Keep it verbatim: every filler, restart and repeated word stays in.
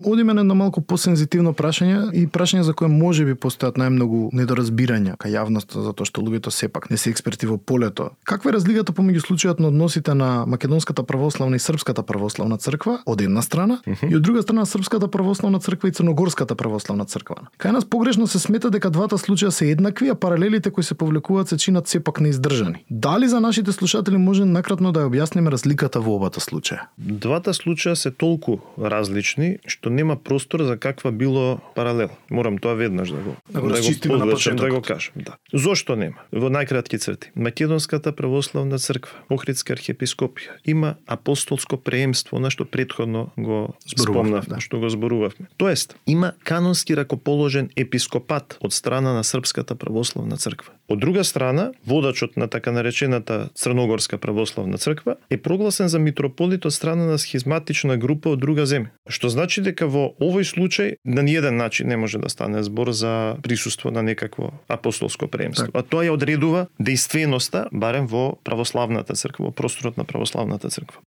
Одиме на едно малку посензитивно прашање и прашање за кое можеби постојат најмногу недоразбирања кај јавноста затоа што луѓето сепак не се експерти во полето. Каква е разликата помеѓу случајот на односите на Македонската православна и Српската православна црква од една страна uh -huh. и од друга страна Српската православна црква и Црногорската православна црква? Кај нас погрешно се смета дека двата случаја се еднакви, а паралелите кои се повлекуваат се чинат сепак неиздржани. Дали за нашите слушатели може накратно да ја објасниме разликата во обата случаја? Двата случаја се толку различни што нема простор за каква било паралел. Морам тоа веднаш да го да го расчистиме на почетокот. Да го кажам, да. Зошто нема? Во најкратки црти. Македонската православна црква, Охридска архиепископија има апостолско преемство, на што претходно го спомнав, да. што го зборувавме. Тоест, има канонски ракоположен епископат од страна на Српската православна црква. Од друга страна, водачот на така наречената Црногорска православна црква е прогласен за митрополит од страна на схизматична група од друга земја. Што значи дека во овој случај на ниеден начин не може да стане збор за присуство на некакво апостолско преемство. Так. А тоа ја одредува дејственоста барем во православната црква, во просторот на православната црква.